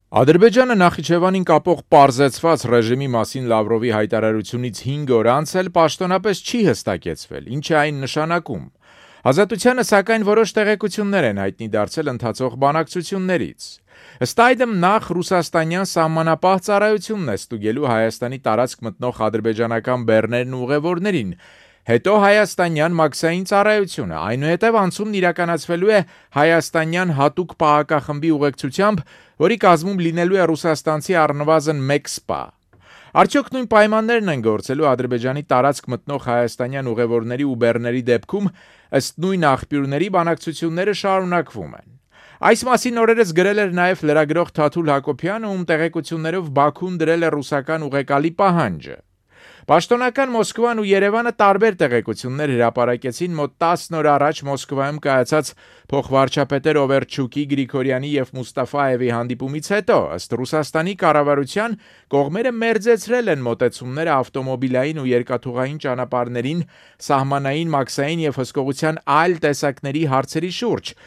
Ադրբեջանը Նախիջևանին կապող պարզեցված ռեժիմի մասին Լավրովի հայտարարությունից 5 օր անց էլ պաշտոնապես չի հստակեցվել, ինչ է այն նշանակում։ Ազատությանը սակայն որոշ տեղեկություններ են հայտնի դարձել ընթացող բանակցություններից։ Ըստ այդմ նախ ռուսաստանյան սահմանապահ ծառայությունն է ստուգելու Հայաստանի տարածք մտնող ադրբեջանական բեռներն ու ուղևորներին, հետո հայաստանյան մաքսային ծառայությունը, այնուհետև անցումն իրականացվելու է հայաստանյան հատուկ պահակախմբի ուղեկցությամբ, որի կազմում լինելու է ռուսաստանցի առնվազն 1 սպա։ Արդյոք նույն պայմաններն են գործելու Ադրբեջանի տարածք մտնող հայաստանյան ուղևորների ու բեռների դեպքում, ըստ նույն աղբյուրների բանակցությունները շարունակվում են։ Այս մասին օրերս գրել էր նաև լրագրող Թաթուլ Հակոբյանը, ում տեղեկություններով Բաքուն դրել է ռուսական ուղեկալի պահանջը։ Պաշտոնական Մոսկվան ու Երևանը տարբեր տեղեկություններ հրապարակեցին մոտ 10 օր առաջ Մոսկվայում կայացած փոխվարչապետեր Օվերչուկի, Գրիգորյանի եւ Մուստաֆաևի հանդիպումից հետո, ըստ Ռուսաստանի կառավարության, կողմերը մերձեցրել են մոտեցումները ավտոմոբիլային ու երկաթուղային ճանապարհներին, սահմանային, մաքսային եւ հսկողության այլ տեսակների հարցերի շուրջ,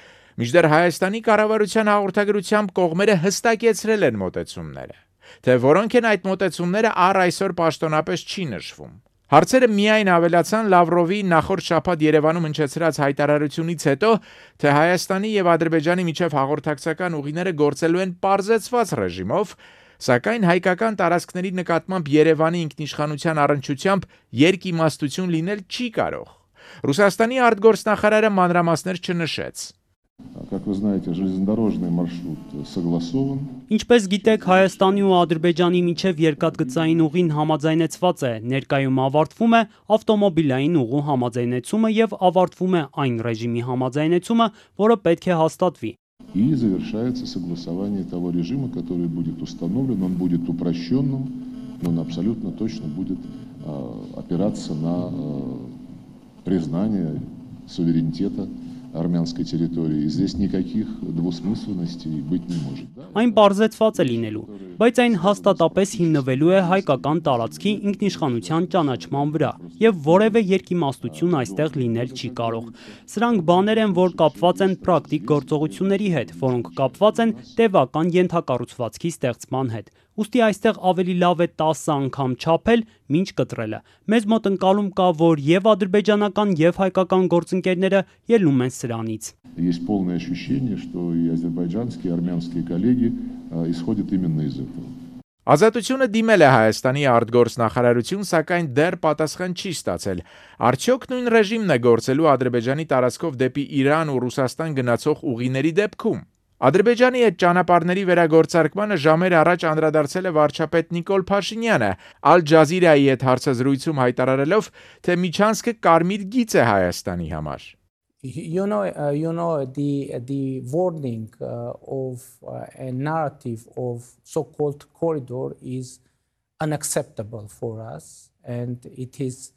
մինչդեռ Հայաստանի կառավարության հաղորդագրությամբ կողմերը հստակեցրել են մոտեցումները։ Թե որոնք են այդ մոտեցումները առ այսօր պաշտոնապես չի նշվում։ Հարցերը միայն ավելացան Լավրովի նախորդ շաբաթ Երևանում հնչեցրած հայտարարությունից հետո, թե Հայաստանի եւ Ադրբեջանի միջև հաղորդակցական ուղիները գործելու են պարզեցված ռեժիմով, սակայն հայկական տարածքների նկատմամբ Երևանի ինքնիշխանության առնչությամբ երկիմաստություն լինել չի կարող։ Ռուսաստանի արտգործնախարարը մանրամասներ չնշեց։ Как вы знаете, железнодорожный маршрут согласован. Ինչպես գիտեք, Հայաստանի ու Ադրբեջանի միջև երկաթգծային ուղին համաձայնեցված է, ներկայում ավարտվում է ավտոմոբիլային ուղու համաձայնեցումը եւ авարտվում է այն ռեժիմի համաձայնեցումը, որը պետք է հաստատվի։ И завершается согласование того режима, который будет установлен, он будет упрощенным, но он абсолютно точно будет опираться на признание суверенитета армянской территории. Здесь никаких двусмысленностей быть не может. Այն պարզեցված է լինելու, բայց այն հաստատապես հիմնվելու է հայկական տարածքի ինքնիշխանության ճանաչման վրա, եւ որևէ երկիմաստություն այստեղ լինել չի կարող։ Սրանք բաներ են, որ կապված են պրակտիկ գործողությունների հետ, որոնք կապված են տևական ենթակառուցվածքի ստեղծման հետ։ Ուստի այստեղ ավելի լավ է 10 անգամ չափել, մինչ կտրելը։ Մեզ մոտ ընկալում կա, որ եւ ադրբեջանական եւ հայկական գործընկերները ելնում են սրանից։ Есть полное ощущение, что и азербайджанские, и армянские коллеги исходят именно из этого. Ազատությունը դիմել է Հայաստանի արտգործնախարարություն, սակայն դեռ պատասխան չի ստացել։ Արդյոք նույն ռեժիմն է գործելու Ադրբեջանի տարածքով դեպի Իրան ու Ռուսաստան գնացող ուղիների դեպքում։ Ադրբեջանի այդ ճանապարհների վերագործարկմանը ժամեր առաջ անդրադարձել է վարչապետ Նիկոլ Փաշինյանը, Ալ Ջազիրայի հետ հարցազրույցում հայտարարելով, թե Միչանսկը կարմիր գիծ է Հայաստանի համար։ You know the wording of a narrative of so-called corridor is unacceptable for us, and it is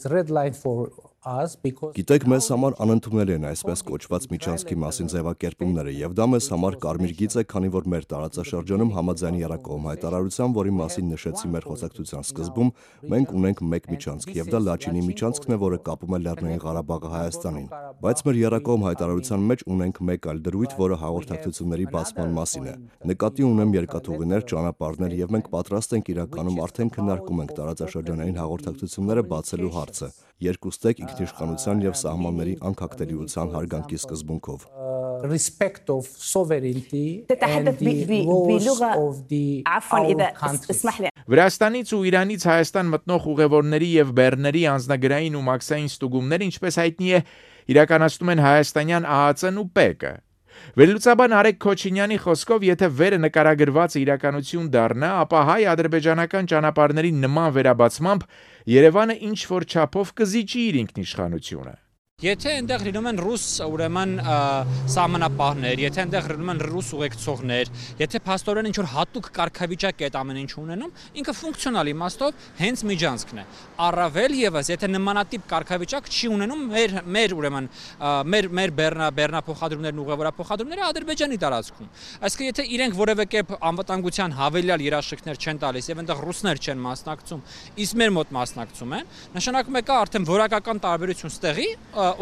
red line for us because Գիտեք, մեզ համար անընդունելի են այսպես կոչված Միչանսկի մասին ձևակերպումները, եւ դա մեզ համար կարմիր գիծ է, քանի որ մեր տարածաշրջանում համաձայն երկկողմ հայտարարության, որի մասին նշեցի մեր խոսակցության սկզբում, մենք ունենք մեկ Միչանսկ, եւ դա Լաչինի Միչանսկն է, որը կապում է Լեռնային Ղարաբաղը Հայաստանին։ Բայց մեր երկկողմ հայտարարության մեջ ունենք մեկ այլ դրույթ, որը հաղորդակցությունների բացման մասին է։ Նկատի ունեմ երկաթուղիներ, ճանապարհներ, եւ մենք պատրաստ ենք իրականում արդեն քննարկում ենք տարածաշրջանային հաղորդակցությունները բացելու հարցը։ Երկուստեք ինքնիշխանության եւ սահմանների անկախտելիության հարգանքի սկզբունքով։ Respect of sovereignty and the laws of the country. Վրաստանից ու Իրանից Հայաստան մտնող ուղևորների եւ բեռների անձնագրային ու մաքսային ստուգումներ, ինչպես հայտնի է, իրականացնում են հայաստանյան ԱԱՑ-ն ու ՊԵԿ-ը։ Վերլուծաբան Արեգ Քոչինյանի խոսքով, եթե վերը նկարագրված իրականություն դառնա, ապա հայ-ադրբեջանական ճանապարհների նման վերաբացմամբ Երևանը ինչ որ չափով կզիջի իր ինքնիշխանությունը։ Եթե այնտեղ լինում են ռուս ուրեմն սահմանապահներ, եթե այնտեղ լինում են ռուս ուղեկցողներ, եթե փաստորեն ինչ որ հատուկ կարգավիճակ է այդ ամեն ինչ ունենում, ինքը ֆունկցիոնալ իմաստով հենց Միջանսկն է։ Առավել եւս, եթե նմանատիպ կարգավիճակ չի ունենում մեր ուրեմն մեր բեռնափոխադրումներն ու ուղևորափոխադրումները Ադրբեջանի տարածքում։ Այսինքն եթե իրենք որևէ կերպ անվտանգության հավելյալ երաշխիքներ չեն տալիս եւ այնտեղ ռուսներ չեն մասնակցում, իսկ մեր մոտ մասնակցում են, նշանակում է կա արդեն որակական տարբերություն ստեղի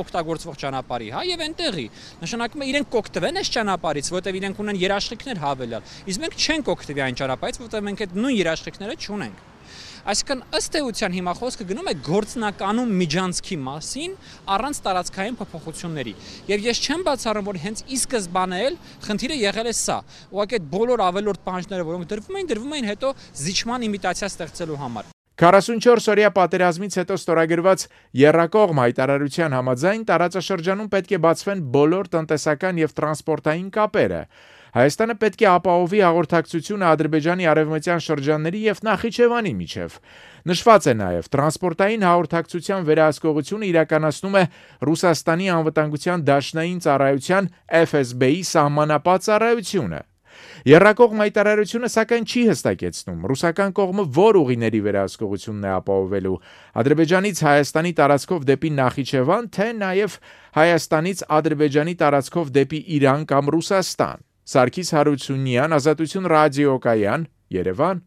օգտագործվող ճանապարհի, հա, եւ այնտեղի։ Նշանակում է իրենք կօգտվեն այս ճանապարհից, որտեղ իրենք ունեն երաշխիքներ հավելյալ։ Իսկ մենք չենք օգտվի այն ճանապարհից, որտեղ մենք այդ նույն երաշխիքները չունենք։ Այսինքն ըստ էության հիմա խոսքը գնում է գործնականում միջանցքի մասին առանց տարածքային փոփոխությունների։ Եվ ես չեմ բացառում, որ հենց ի սկզբանե էլ խնդիրը եղել է սա։ Ուղղակի այդ բոլոր ավելորդ պահանջները, որոնք դրվում էին հետո զիջման իմիտացիա ստեղծելու համար։ 44-օրյա պատերազմից հետո ստորագրված եռակողմ հայտարարության համաձայն տարածաշրջանում պետք է բացվեն բոլոր տնտեսական եւ տրանսպորտային կապերը։ Հայաստանը պետք է ապահովի հաղորդակցությունը Ադրբեջանի արևմտյան շրջանների եւ Նախիջևանի միջև։ Նշված է նաեւ տրանսպորտային հաղորդակցության վերահսկողությունը իրականացնում է Ռուսաստանի անվտանգության դաշնային ծառայության FSB-ի սահմանապատ ծառայությունը։ Եռակողմ հայտարարությունը սակայն չի հստակեցնում ռուսական կողմը որ ուղիների վերահսկողությունն է ապահովելու Ադրբեջանից Հայաստանի տարածքով դեպի Նախիջևան, թե նաև Հայաստանից Ադրբեջանի տարածքով դեպի Իրան կամ Ռուսաստան։ Սարգիս Հարությունյան, Ազատություն ռադիոկայան, Երևան։